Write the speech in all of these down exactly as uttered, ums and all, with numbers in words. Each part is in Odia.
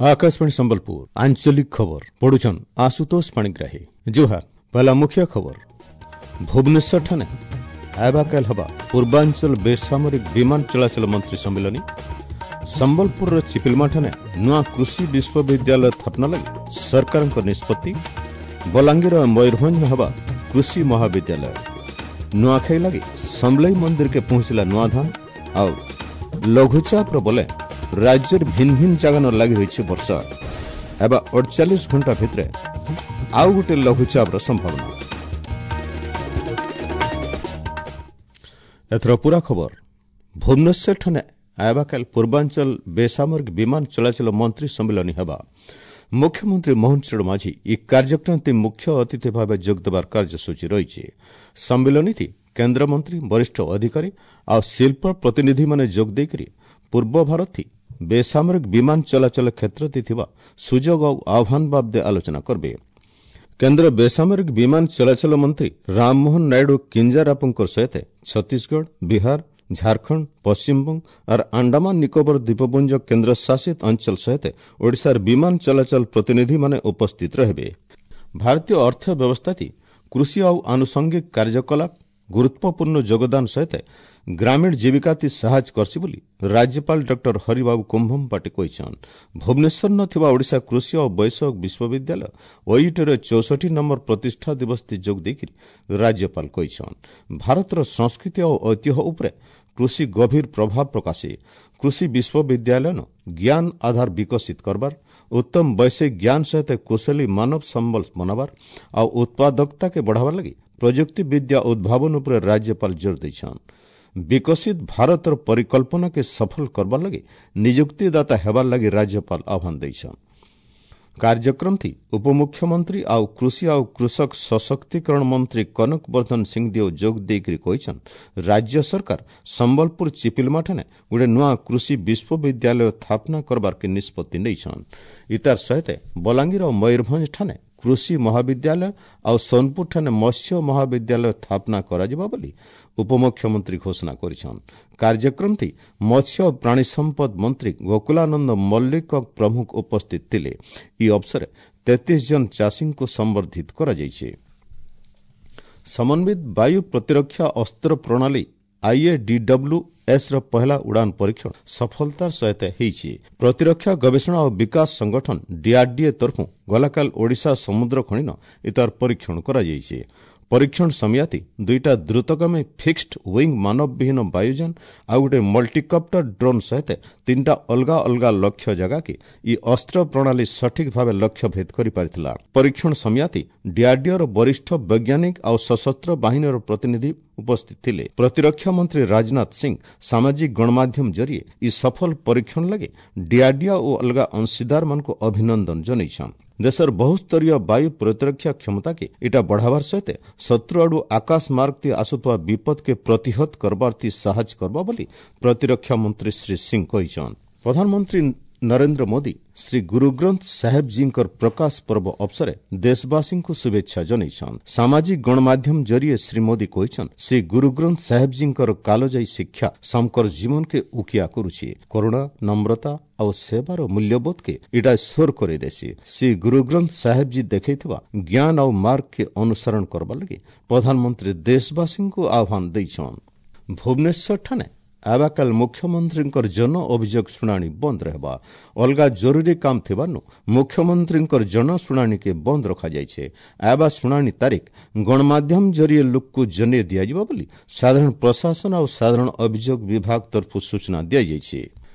Akashvani Sambalpur आंचलिक खबर पढ़ुछन आशुतोष पाणिग्राही। जोहार। पहला मुख्य खबर, भुवनेश्वर ठाने आबाकाल हवा पूर्वांचल बेसामरिक विमान चलाचल मंत्री सम्मिलनी। ସମ୍ବଲପୁରର ଚିପିଲମାଠାରେ ନୂଆ କୃଷି ବିଶ୍ୱବିଦ୍ୟାଳୟ ସ୍ଥାପନ ଲାଗି ସରକାରଙ୍କ ନିଷ୍ପତ୍ତି। ବଲାଙ୍ଗୀର ମୟୂରଭଞ୍ଜ ହେବା କୃଷି ମହାବିଦ୍ୟାଳୟ। ନୂଆଖାଇ ଲାଗି ସମଲେଇ ମନ୍ଦିରକେ ପହଞ୍ଚିଲା ନୂଆ ଧାନ। ଆଉ ଲଘୁଚାପର ବଲେ ରାଜ୍ୟରେ ଭିନ୍ନ ଭିନ୍ନ ଜାଗାନ ଲାଗି ରହିଛି ବର୍ଷା। ଏବେ ଅଡ଼ଚାଳିଶ ଘଣ୍ଟା ଭିତରେ ଆଉ ଗୋଟେ ଲଘୁଚାପର ସମ୍ଭାବନା। ଏଥର ପୁରା ଖବର। ଭୁବନେଶ୍ୱରଠାରେ ଆବାକାଲ ପୂର୍ବାଞ୍ଚଳ ବେସାମରିକ ବିମାନ ଚଳାଚଳ ମନ୍ତ୍ରୀ ସମ୍ମିଳନୀ ହେବା। ମୁଖ୍ୟମନ୍ତ୍ରୀ ମୋହନ ଚରଣ ମାଝୀ ଏହି କାର୍ଯ୍ୟକ୍ରମରେ ମୁଖ୍ୟ ଅତିଥି ଭାବେ ଯୋଗଦେବାର କାର୍ଯ୍ୟସୂଚୀ ରହିଛି। ସମ୍ମିଳନୀରେ କେନ୍ଦ୍ରମନ୍ତ୍ରୀ, ବରିଷ୍ଠ ଅଧିକାରୀ ଆଉ ଶିଳ୍ପ ପ୍ରତିନିଧିମାନେ ଯୋଗ ଦେଇକରି ପୂର୍ବ ଭାରତ ବେସାମରିକ ବିମାନ ଚଳାଚଳ କ୍ଷେତ୍ରରେ ଥିବା ସୁଯୋଗ ଆଉ ଆହ୍ୱାନ ବାବଦେ ଆଲୋଚନା କରିବେ। କେନ୍ଦ୍ର ବେସାମରିକ ବିମାନ ଚଳାଚଳ ମନ୍ତ୍ରୀ ରାମମୋହନ ନାଇଡୁ କିଞ୍ଜାରାପୁଙ୍କ ସହିତ ଛତିଶଗଡ଼, ବିହାର, ଝାଡ଼ଖଣ୍ଡ, ପଶ୍ଚିମବଙ୍ଗ और ଆଣ୍ଡାମାନ ନିକୋବର ଦ୍ୱୀପପୁଞ୍ଜ କେନ୍ଦ୍ରଶାସିତ ଅଞ୍ଚଳ ସହିତ ଓଡ଼ିଶାର ବିମାନ ଚଳାଚଳ ପ୍ରତିନିଧିମାନେ ଉପସ୍ଥିତ ରହିବେ। ଭାରତୀୟ ଅର୍ଥ ବ୍ୟବସ୍ଥାଟି କୃଷି ଆଉ ଆନୁଷଙ୍ଗିକ କାର୍ଯ୍ୟକଳାପ ଗୁରୁତ୍ୱପୂର୍ଣ୍ଣ ଯୋଗଦାନ ସହିତ ଗ୍ରାମୀଣ ଜୀବିକାତି ସାହାଯ୍ୟ କରସି ବୋଲି ରାଜ୍ୟପାଳ ଡକ୍ଟର ହରିବାବୁ କୁମ୍ଭମପାଟି କହିଛନ୍ତି। ଭୁବନେଶ୍ୱର ଥିବା ଓଡ଼ିଶା କୃଷି ଓ ବୈଷୟିକ ବିଶ୍ୱବିଦ୍ୟାଳୟ ଓୟୁଟିର ଚଉଷଠି ନମ୍ବର ପ୍ରତିଷ୍ଠା ଦିବସରେ ଯୋଗ ଦେଇକରି ରାଜ୍ୟପାଳ କହିଛନ୍ତି, ଭାରତର ସଂସ୍କୃତି ଓ ଐତିହ୍ୟ ଉପରେ କୃଷି ଗଭୀର ପ୍ରଭାବ ପ୍ରକାଶେ। କୃଷି ବିଶ୍ୱବିଦ୍ୟାଳୟ ଜ୍ଞାନ ଆଧାର ବିକଶିତ କରବାର, ଉତ୍ତମ ବୈଷୟିକ ଜ୍ଞାନ ସହିତ କୁଶଳୀ ମାନବ ସମ୍ବଳ ବନାବାର ଆଉ ଉତ୍ପାଦକତାକେ ବଢ଼ାବାର ଲାଗି ପ୍ରଯୁକ୍ତି ବିଦ୍ୟା ଉଦ୍ଭାବନ ଉପରେ ରାଜ୍ୟପାଳ ଜୋର ଦେଇଛନ୍। ବିକଶିତ ଭାରତର ପରିକଳ୍ପନାକେ ସଫଳ କରବାର ଲାଗି ନିଯୁକ୍ତିଦାତା ହେବାର ଲାଗି ରାଜ୍ୟପାଳ ଆହ୍ୱାନ ଦେଇଛନ୍। କାର୍ଯ୍ୟକ୍ରମଟି ଉପମୁଖ୍ୟମନ୍ତ୍ରୀ ଆଉ କୃଷି ଆଉ କୃଷକ ସଶକ୍ତିକରଣ ମନ୍ତ୍ରୀ କନକ ବର୍ଦ୍ଧନ ସିଂଦେଓ ଯୋଗ ଦେଇକରି କହିଛନ୍, ରାଜ୍ୟ ସରକାର ସମ୍ବଲପୁର ଚିପିଲମାଠାରେ ଗୋଟେ ନୂଆ କୃଷି ବିଶ୍ୱବିଦ୍ୟାଳୟ ସ୍ଥାପନା କରବାର୍କେ ନିଷ୍ପତ୍ତି ନେଇଛନ୍। ଇତାର ସହିତ ବଲାଙ୍ଗୀର ଓ ମୟୂରଭଞ୍ଜ ଠାନେ କୃଷି ମହାବିଦ୍ୟାଳୟ ଆଉ ସୋନପୁରଠାରେ ମତ୍ସ୍ୟ ମହାବିଦ୍ୟାଳୟ ସ୍ଥାପନା କରାଯିବ ବୋଲି ଉପମୁଖ୍ୟମନ୍ତ୍ରୀ ଘୋଷଣା କରିଛନ୍। କାର୍ଯ୍ୟକ୍ରମଟି ମତ୍ସ୍ୟ ଓ ପ୍ରାଣୀ ସମ୍ପଦ ମନ୍ତ୍ରୀ ଗୋକୁଳାନନ୍ଦ ମଲ୍ଲିକ ପ୍ରମୁଖ ଉପସ୍ଥିତ ଥିଲେ। ଏହି ଅବସରରେ ତେତିଶ ଜଣ ଚାଷୀଙ୍କୁ ସମ୍ବର୍ଦ୍ଧିତ କରାଯାଇଛି। ସମନ୍ୱିତ ବାୟୁ ପ୍ରତିରକ୍ଷା ଅସ୍ତ୍ର ପ୍ରଣାଳୀ ଆଇଏଡିଡବ୍ଲ୍ୟୁ ଏସ୍ ର ପହଲା ଉଡ଼ାନ ପରୀକ୍ଷଣ ସଫଳତାର ସହିତ ହୋଇଛି। ପ୍ରତିରକ୍ଷା ଗବେଷଣା ଓ ବିକାଶ ସଂଗଠନ ଡିଆର୍ଡିଏ ତରଫୁ ଗଲାକାଲ ଓଡ଼ିଶା ସମୁଦ୍ର ଖଣିନ ଇତାର ପରୀକ୍ଷଣ କରାଯାଇଛି। ପରୀକ୍ଷଣ ସମୟାତି ଦୁଇଟା ଦ୍ରୁତଗାମୀ ଫିକ୍ସଡ ୱିଙ୍ଗ ମାନବବିହୀନ ବାୟୁଯାନ ଆଉ ଗୋଟେ ମଲ୍ଟିକପ୍ଟର ଡ୍ରୋନ୍ ସହିତ ତିନିଟା ଅଲଗା ଅଲଗା ଲକ୍ଷ୍ୟ ଜାଗାକେ ଇ ଅସ୍ତ୍ର ପ୍ରଣାଳୀ ସଠିକ୍ ଭାବେ ଲକ୍ଷ୍ୟ ଭେଦ କରିପାରିଥିଲା। ପରୀକ୍ଷଣ ସମୟାତି ଡିଆର୍ଡିଓର ବରିଷ୍ଠ ବୈଜ୍ଞାନିକ ଆଉ ସଶସ୍ତ୍ର ବାହିନୀର ପ୍ରତିନିଧି ଉପସ୍ଥିତ ଥିଲେ। ପ୍ରତିରକ୍ଷା ମନ୍ତ୍ରୀ ରାଜନାଥ ସିଂ ସାମାଜିକ ଗଣମାଧ୍ୟମ ଜରିଏ ଇ ସଫଳ ପରୀକ୍ଷଣ ଲାଗି ଡିଆର୍ଡିଓ ଓ ଅଲଗା ଅଂଶୀଦାରମାନଙ୍କୁ ଅଭିନନ୍ଦନ ଜଣାଇଛନ୍। ଦେଶର ବହୁସ୍ତରୀୟ ବାୟୁ ପ୍ରତିରକ୍ଷା କ୍ଷମତାକେ ଏଟା ବଢ଼ାବାର ସହିତ ଶତ୍ରୁ ଆଡୁ ଆକାଶ ମାର୍ଗ ଆସୁଥିବା ବିପଦକେ ପ୍ରତିହତ କରବାର ସାହାଯ୍ୟ କରବା ବୋଲି ପ୍ରତିରକ୍ଷା ମନ୍ତ୍ରୀ ଶ୍ରୀ ସିଂ କହିଛନ୍। ପ୍ରଧାନମନ୍ତ୍ରୀ ନରେନ୍ଦ୍ର ମୋଦି ଶ୍ରୀ ଗୁରୁଗ୍ରନ୍ଥ ସାହେବଜୀଙ୍କର ପ୍ରକାଶ ପର୍ବ ଅବସରେ ଦେଶବାସୀଙ୍କୁ ଶୁଭେଚ୍ଛା ଜଣାଇଛନ୍। ସାମାଜିକ ଗଣମାଧ୍ୟମ ଜରିଏ ଶ୍ରୀ ମୋଦି କହିଛନ୍, ଶ୍ରୀ ଗୁରୁଗ୍ରନ୍ଥ ସାହେବଜୀଙ୍କର କାଲଜାୟୀ ଶିକ୍ଷା ସମକର ଜୀବନକେ ଉକିଆ କରୁଛି। କରୁଣା, ନମ୍ରତା ଆଉ ସେବାର ମୂଲ୍ୟବୋଧକେ ଇଟା ସ୍ୱର କରିଦେସି। ଶ୍ରୀ ଗୁରୁଗ୍ରନ୍ଥ ସାହେବଜୀ ଦେଖେଇଥିବା ଜ୍ଞାନ ଆଉ ମାର୍ଗକେ ଅନୁସରଣ କରବାର ଲାଗି ପ୍ରଧାନମନ୍ତ୍ରୀ ଦେଶବାସୀଙ୍କୁ ଆହ୍ୱାନ ଦେଇଛନ୍। ଭୁବନେଶ୍ୱରଠାରେ ଆବାକାଲ ମୁଖ୍ୟମନ୍ତ୍ରୀଙ୍କର ଜନ ଅଭିଯୋଗ ଶୁଣାଣି ବନ୍ଦ ରହିବା। ଅଲଗା ଜରୁରୀ କାମ ଥିବାରୁ ମୁଖ୍ୟମନ୍ତ୍ରୀଙ୍କର ଜନ ଶୁଣାଣିକେ ବନ୍ଦ ରଖାଯାଇଛି। ଆବା ଶୁଣାଣି ତାରିଖ ଗଣମାଧ୍ୟମ ଜରିଏ ଲୋକକୁ ଜଣାଇ ଦିଆଯିବ ବୋଲି ସାଧାରଣ ପ୍ରଶାସନ ଆଉ ସାଧାରଣ ଅଭିଯୋଗ ବିଭାଗ ତରଫରୁ ସୂଚନା ଦିଆଯାଇଛି।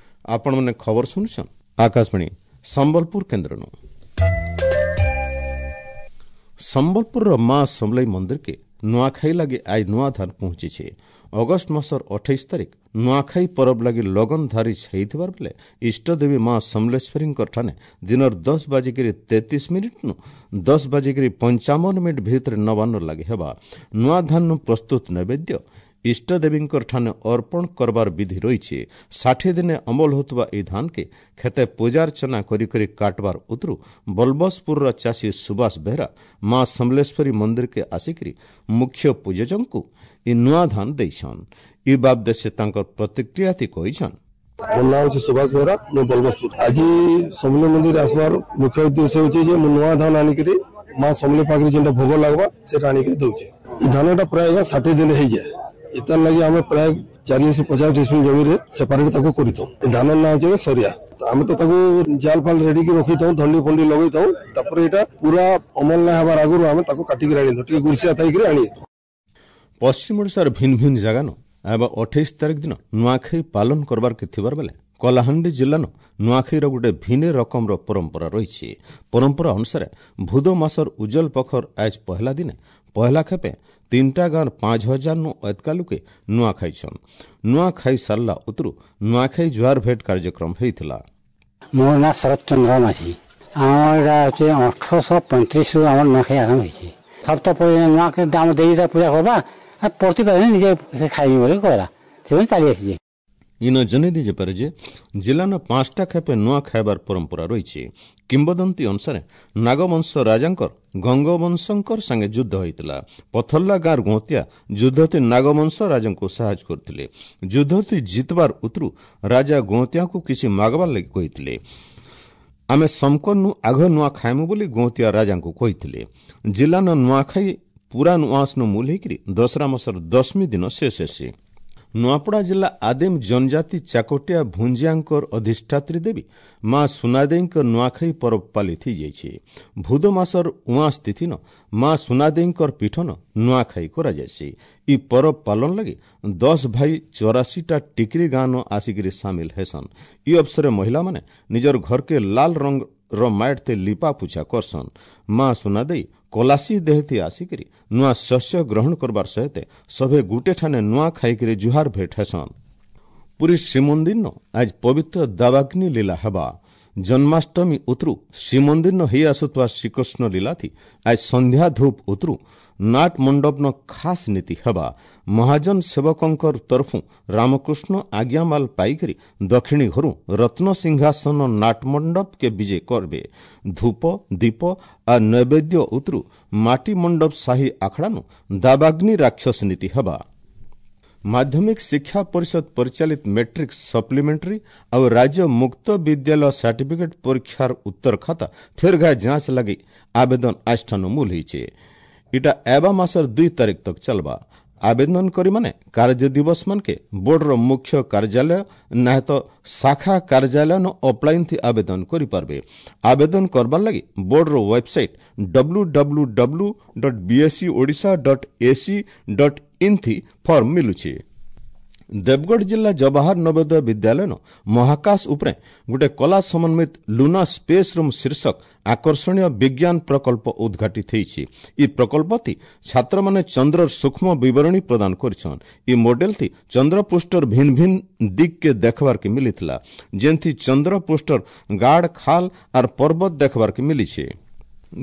ଆପଣମାନେ ଖବର ଶୁଣୁଛନ୍ ଆକାଶବାଣୀ ସମ୍ବଲପୁର କେନ୍ଦ୍ରନୁ। ସମ୍ବଲପୁରର ମା ସମଲେଇ ମନ୍ଦିରକେ ନୂଆଖାଇ ଲାଗି ଆଜି ନୂଆ ଧାନ ପହଞ୍ଚିଛି। ଅଗଷ୍ଟ ମାସର ଅଠେଇଶ ତାରିଖ ନୂଆଖାଇ ପରବ ଲାଗି ଲଗନ ଧାରି ହେଇଥିବାର ବେଲେ ଇଷ୍ଟଦେବୀ ମା ସମଲେଶ୍ୱରୀଙ୍କ ଠାନେ ଦିନର ଦଶ ବାଜିକିରି ତେତିଶ ମିନିଟ୍ନୁ ଦଶ ବାଜିକିରି ପଞ୍ଚାବନ ମିନିଟ୍ ଭିତରେ ନବାନ୍ନ ଲାଗି ହେବା। ନୂଆ ଧାନୁ ପ୍ରସ୍ତୁତ ନୈବେଦ୍ୟ ଇଷ୍ଟଦେବୀଙ୍କର ଠାନେ ଅର୍ପଣ କରବାର ବିଧି ରହିଛି। ଷାଠିଏ ଦିନେ ଅମଲ ହେଉଥିବା ଏହି ଧାନକେ ଖେତେ ପୂଜାର୍ଚ୍ଚନା କରି କରି କାଟବାର ଉତରୁ ବଲବସପୁରର ଚାଷୀ ସୁବାସ ବେହେରା ମା ସମଲେଶ୍ୱରୀ ମନ୍ଦିରକେ ଆସିକରି ମୁଖ୍ୟ ପୂଜକଙ୍କୁ ଇ ନୂଆ ଧାନ ଦେଇଛନ୍। ଇ ବାବଦେ ସେ ତାଙ୍କର ପ୍ରତିକ୍ରିୟାତି କହିଛନ୍। ମୋ ନାଁ ହେଉଛି ସୁଭାଷ ବେହେରା, ମୁଁ ବଲବସପୁର। ଆଜି ସମଲେଇ ମନ୍ଦିର ଆସିବାର ମୁଖ୍ୟ ଉଦ୍ଦେଶ୍ୟ ହେଉଛି ଯେ ମୁଁ ନୂଆ ଧାନ ଆଣିକିରି ମା ସମଲେଇ ପାଖରେ ଯେନ୍ଟା ଭୋଗ ଲାଗ୍ବା ସେଟା ଆଣିକିରି ଦଉଛେ। ଏ ଧାନଟା ପ୍ରାୟ ଆଜ୍ଞା ଷାଠିଏ ଦିନ ହେଇଯାଏ। ଏତାର ଲାଗି ଆମେ ପ୍ରାୟ ଚାଳିଶ ପଚାଶ ଡିସମିଲ ଜମିରେ ସେପାରେଟ ତାକୁ କରିଥାଉ। ଏ ଧାନର ନାଁ ହେଉଛି ସରିଆ। ଆମେ ତ ତାକୁ ଜାଲ ଫାଲ ରେଡି କି ରଖିଥାଉ, ଧଣ୍ଡି ଫଣ୍ଡି ଲଗେଇଥାଉ। ତାପରେ ଏଇଟା ପୁରା ଅମଲ ନା ହେବାର ଆଗରୁ ଆମେ ତାକୁ କାଟିକିରି ଆଣିଥାଉ, ଟିକେ ଗୁରୁସିଆ ଥାଇକିରି ଆଣିଥାଉ। ପଶ୍ଚିମ ଓଡ଼ିଶାର ଭିନ୍ନ ଭିନ୍ନ ଜାଗାନ ଏବେ ଅଠେଇଶ ତାରିଖ ଦିନ ନୂଆଖାଇ ପାଳନ କରବାର୍କେ ଥିବାର ବେଲେ କଳାହାଣ୍ଡି ଜିଲ୍ଲାନ ନୂଆଖାଇର ଗୋଟେ ଭିନେ ରକମର ପରମ୍ପରା ରହିଛି। ପରମ୍ପରା ଅନୁସାରେ ଭୁଦ ମାସର ଉଜ୍ଜଲ ପଖର ଆଜ ପହଲା ଦିନେ ପହଲା ଖେପେ ତିନିଟା ଗାଁର ପାଞ୍ଚ ହଜାର ନୁ ଅତକା ଲୋକେ ନୂଆ ଖାଇଛନ୍। ନୂଆ ଖାଇ ସାରିଲା ଉତରୁ ନୂଆଖାଇ ଜୁହାର ଭେଟ କାର୍ଯ୍ୟକ୍ରମ ହେଇଥିଲା। ମୋ ନାଁ ଶରତ ଚନ୍ଦ୍ର ମାଝୀ। ଆମର ଏଇଟା ହଉଛି ଅଠରଶହ ପଇଁତିରିଶରୁ ଆମର ନୂଆଖାଇ ଆରମ୍ଭ ହେଇଛି। ସବ ତ ନୂଆ ଆମ ଦେବୀ ପୂଜା କରବା ପ୍ରତିପାରେ ନିଜେ ସେ ଖାଇବି ବୋଲି କହିଲା, ସେଥିପାଇଁ ଚାଲି ଆସିଛି। ଇନ ଜଣେଇ ଦେଇପାରେ ଯେ ଜିଲ୍ଲାନ ପାଞ୍ଚଟା ଖେପେ ନୂଆ ଖାଇବାର ପରମ୍ପରା ରହିଛି। କିମ୍ବଦନ୍ତୀ ଅନୁସାରେ ନାଗବଂଶ ରାଜାଙ୍କର ଗଙ୍ଗବଂଶଙ୍କର ସାଙ୍ଗେ ଯୁଦ୍ଧ ହୋଇଥିଲା। ପଥର୍ଲା ଗାଁର ଗୌତିଆ ଯୁଦ୍ଧତି ନାଗବଂଶ ରାଜାଙ୍କୁ ସାହାଯ୍ୟ କରିଥିଲେ। ଯୁଦ୍ଧତି ଜିତବାର ଉତରୁ ରାଜା ଗୌତିଆକୁ କିଛି ମାଗବାର ଲାଗି କହିଥିଲେ। ଆମେ ସମକନୁ ଆଘ ନୂଆ ଖାଇମୁ ବୋଲି ଗୌତିଆ ରାଜାଙ୍କୁ କହିଥିଲେ। ଜିଲ୍ଲାନ ନୂଆଖାଇ ପୁରା ନୂଆସନ ମୂଲ ହେଇକିରି ଦଶରା ମାସର ଦଶମୀ ଦିନ ଶେଷ ହେସି। ନୂଆପଡ଼ା ଜିଲ୍ଲା ଆଦିମ ଜନଜାତି ଚାକଟିଆ ଭୁଞ୍ଜିଆଙ୍କର ଅଧିଷ୍ଠାତ୍ରୀ ଦେବୀ ମା ସୁନାଦେଇଙ୍କ ନୂଆଖାଇ ପରବ ପାଳିତ ହେଇଯାଇଛି। ଭୁଦ ମାସର ଉଆଁସ ତିଥିନ ମା ସୁନାଦେଇଙ୍କର ପୀଠନ ନୂଆଖାଇ କରାଯାଇସି। ଇ ପରବ ପାଳନ ଲାଗି ଦଶ ଭାଇ ଚଉରାଶୀଟା ଟିକିରି ଗାଁନ ଆସିକିରି ସାମିଲ ହେସନ୍। ଇ ଅବସରେ ମହିଳାମାନେ ନିଜର ଘରକେ ଲାଲ ରଙ୍ଗର ମାଏଟ୍ତେ ଲିପା ପୁଛା କରସନ୍। ମା ସୁନାଦେଇ କଲାସି ଦେହତି ଆସିକିରି ନୂଆ ଶସ୍ୟ ଗ୍ରହଣ କରବାର ସହିତ ସଭେ ଗୁଟେ ଠାନେ ନୂଆ ଖାଇକିରି ଜୁହାର ଭେଟ ହେସନ୍। ପୁରୀ ଶ୍ରୀମନ୍ଦିରନ ଆଜ ପବିତ୍ର ଦାବାଗ୍ନି ଲୀଲା ହେବା। ଜନ୍ମାଷ୍ଟମୀ ଉତରୁ ଶ୍ରୀମନ୍ଦିରନ ହେଇ ଆସୁଥିବା ଶ୍ରୀକୃଷ୍ଣ ଲୀଲାଥି ଆଜ ସନ୍ଧ୍ୟା ଧୂପ ଉତରୁ ନାଟ ମଣ୍ଡପନ ଖାସ ନୀତି ହେବା। ମହାଜନ ସେବକଙ୍କର ତରଫୁ ରାମକୃଷ୍ଣ ଆଜ୍ଞାମାଲ ପାଇକରି ଦକ୍ଷିଣୀ ଘରୁ ରତ୍ନ ସିଂହାସନ ନାଟ ମଣ୍ଡପକେ ବିଜେ କରବେ। ଧୂପ ଦୀପ आ ନୈବେଦ୍ୟ ଉତରୁ ମାଟି ମଣ୍ଡପ ସାହି ଆଖଡ଼ାନୁ ଦାବାଗ୍ନି ରାକ୍ଷସ ନୀତି ହେବା। ମାଧ୍ୟମିକ ଶିକ୍ଷା ପରିଷଦ ପରିଚାଳିତ ମେଟ୍ରିକ ସପ୍ଲିମେଣ୍ଟାରୀ ଆଉ ରାଜ୍ୟ ମୁକ୍ତ ବିଦ୍ୟାଳୟ ସାର୍ଟିଫିକେଟ୍ ପରୀକ୍ଷାର ଉତ୍ତର ଖାତା ଫେର୍ ଘାଏ ଯାଞ୍ଚ ଲାଗି ଆବେଦନ ଆଜଠାନୁ ମୂଲ ହେଇଛେ। ଇଟା ଏବା ମାସର ଦୁଇ ତାରିଖ ତକ ଚାଲବା। ଆବେଦନ କରି ମାନେ କାର୍ଯ୍ୟ ଦିବସ ମାନକେ ବୋର୍ଡର ମୁଖ୍ୟ କାର୍ଯ୍ୟାଳୟ ନାହେଁ ତ ଶାଖା କାର୍ଯ୍ୟାଳୟ ଅଫଲାଇନ ଥି ଆବେଦନ କରିପାରବେ। ଆବେଦନ କରବାର ଲାଗି ବୋର୍ଡର website W W W dot BSE Odisha dot AC dot in ଥି ଫର୍ମ ମିଲୁଛି। ଦେବଗଡ଼ ଜିଲ୍ଲା ଜବାହର ନବୋଦୟ ବିଦ୍ୟାଳୟନ ମହାକାଶ ଉପରେ ଗୋଟେ କଲା ସମନ୍ୱିତ ଲୁନା ସ୍ପେସ୍ ରୁମ୍ ଶୀର୍ଷକ ଆକର୍ଷଣୀୟ ବିଜ୍ଞାନ ପ୍ରକଳ୍ପ ଉଦ୍ଘାଟିତ ହେଇଛି। ଇ ପ୍ରକଳ୍ପଟି ଛାତ୍ରମାନେ ଚନ୍ଦ୍ରର ସୂକ୍ଷ୍ମ ବିବରଣୀ ପ୍ରଦାନ କରିଛନ୍। ଇ ମଡେଲଥି ଚନ୍ଦ୍ରପୃଷ୍ଠର ଭିନ୍ନ ଭିନ୍ନ ଦିଗ୍କେ ଦେଖବାର୍କେ ମିଲିଥିଲା, ଯେନ୍ଥି ଚନ୍ଦ୍ରପୃଷ୍ଠର ଗାଡ଼, ଖାଲ ଆର୍ ପର୍ବତ ଦେଖବାର୍କେ ମିଲିছে।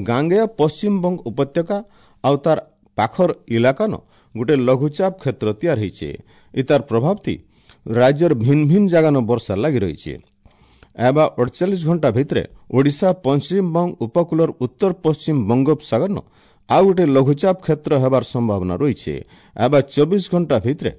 ଗାଙ୍ଗେୟ ପଶ୍ଚିମବଙ୍ଗ ଉପତ୍ୟକା ଆଉ ତାର ପାଖର ଇଲାକାନ ଗୋଟେ ଲଘୁଚାପ କ୍ଷେତ୍ର ତିଆରି ହେଇଛେ। ଇତାର ପ୍ରଭାବଥି ରାଜ୍ୟର ଭିନ୍ନ ଭିନ୍ନ ଜାଗାନ ବର୍ଷା ଲାଗି ରହିছে। ଏବା ଅଡ଼ଚାଳିଶ ଘଣ୍ଟା ଭିତରେ ଓଡ଼ିଶା ପଶ୍ଚିମବଙ୍ଗ ଉପକୂଳର ଉତ୍ତର ପଶ୍ଚିମ ବଙ୍ଗୋପସାଗରନ ଆଉ ଗୋଟେ ଲଘୁଚାପ କ୍ଷେତ୍ର ହେବାର ସମ୍ଭାବନା ରହିছে। ଏବା ଚବିଶ ଘଣ୍ଟା ଭିତରେ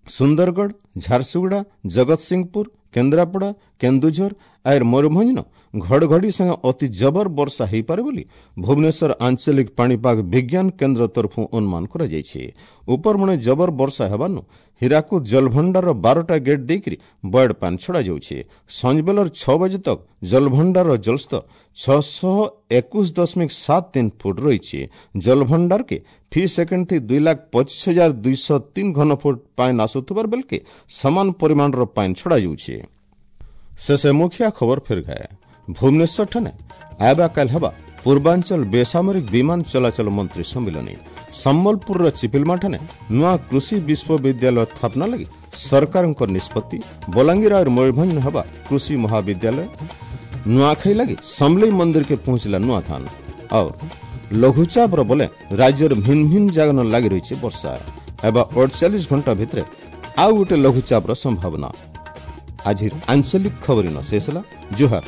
ସୁନ୍ଦରଗଡ଼, ଝାରସୁଗୁଡ଼ା, ଜଗତସିଂହପୁର, କେନ୍ଦ୍ରାପଡ଼ା, କେନ୍ଦୁଝର ଆର୍ ମୟୂରଭଞ୍ଜନ ଘଡ଼ଘଡ଼ି ସାଙ୍ଗେ ଅତି ଜବର ବର୍ଷା ହୋଇପାରେ ବୋଲି ଭୁବନେଶ୍ୱର ଆଞ୍ଚଳିକ ପାଣିପାଗ ବିଜ୍ଞାନ କେନ୍ଦ୍ର ତରଫରୁ ଅନୁମାନ କରାଯାଇଛି। ଉପରମୁଣି ଜବର ବର୍ଷା ହେବାରୁ ହୀରାକୁଦ ଜଳଭଣ୍ଡାରର ବାରଟା ଗେଟ୍ ଦେଇକରି ବଏଡ୍ ପାଣି ଛଡ଼ାଯାଉଛି। ସଞ୍ଜବେଲର ଛଅ ବଜେ ତକ ଜଳଭଣ୍ଡାରର ଜଳସ୍ତର ଛଅଶହ ଏକୋଇଶ ଦଶମିକ ସାତ ତିନି ଫୁଟ ରହିଛି। ଜଳଭଣ୍ଡାରକେ ଫି ସେକେଣ୍ଡ ଥି ଦୁଇ ଲାଖ ପଚିଶ ହଜାର ଦୁଇଶହ ତିନି ଘନ ଫୁଟ ପାଣି ଆସୁଥିବାର ବେଲକେ ସମାନ ପରିମାଣର ପାଣି ଛଡ଼ାଯାଉଛି। ଶେଷେ ମୁଖିଆ ଖବର ଫେର ଗାଏ। ଭୁବନେଶ୍ୱର ଠାନେ ଆଇବା କାଲ ହେବା ପୂର୍ବାଞ୍ଚଳ ବେସାମରିକ ବିମାନ ଚଳାଚଳ ମନ୍ତ୍ରୀ ସମ୍ମିଳନୀ। ସମ୍ବଲପୁରର ଚିପିଲମା ଠାନେ ନୂଆ କୃଷି ବିଶ୍ୱବିଦ୍ୟାଳୟ ସ୍ଥାପନା ଲାଗି ସରକାରଙ୍କ ନିଷ୍ପତ୍ତି। ବଲାଙ୍ଗୀର ଆଉ ମୟୂରଭଞ୍ଜ ହେବା କୃଷି ମହାବିଦ୍ୟାଳୟ। ନୂଆଖାଇ ଲାଗି ସମଲେଇ ମନ୍ଦିରକେ ପହଞ୍ଚିଲା ନୂଆ ଧାନ। ଆଉ ଲଘୁଚାପର ବଲେ ରାଜ୍ୟର ଭିନ୍ନ ଭିନ୍ନ ଜାଗାନ ଲାଗି ରହିଛି ବର୍ଷା। ହେବା ଅଡ଼ଚାଳିଶ ଘଣ୍ଟା ଭିତରେ ଆଉ ଗୋଟେ ଲଘୁଚାପର ସମ୍ଭାବନା। ଆଜିର ଆଞ୍ଚଳିକ ଖବର ଶେଷ ହେଲା। ଜୁହାର।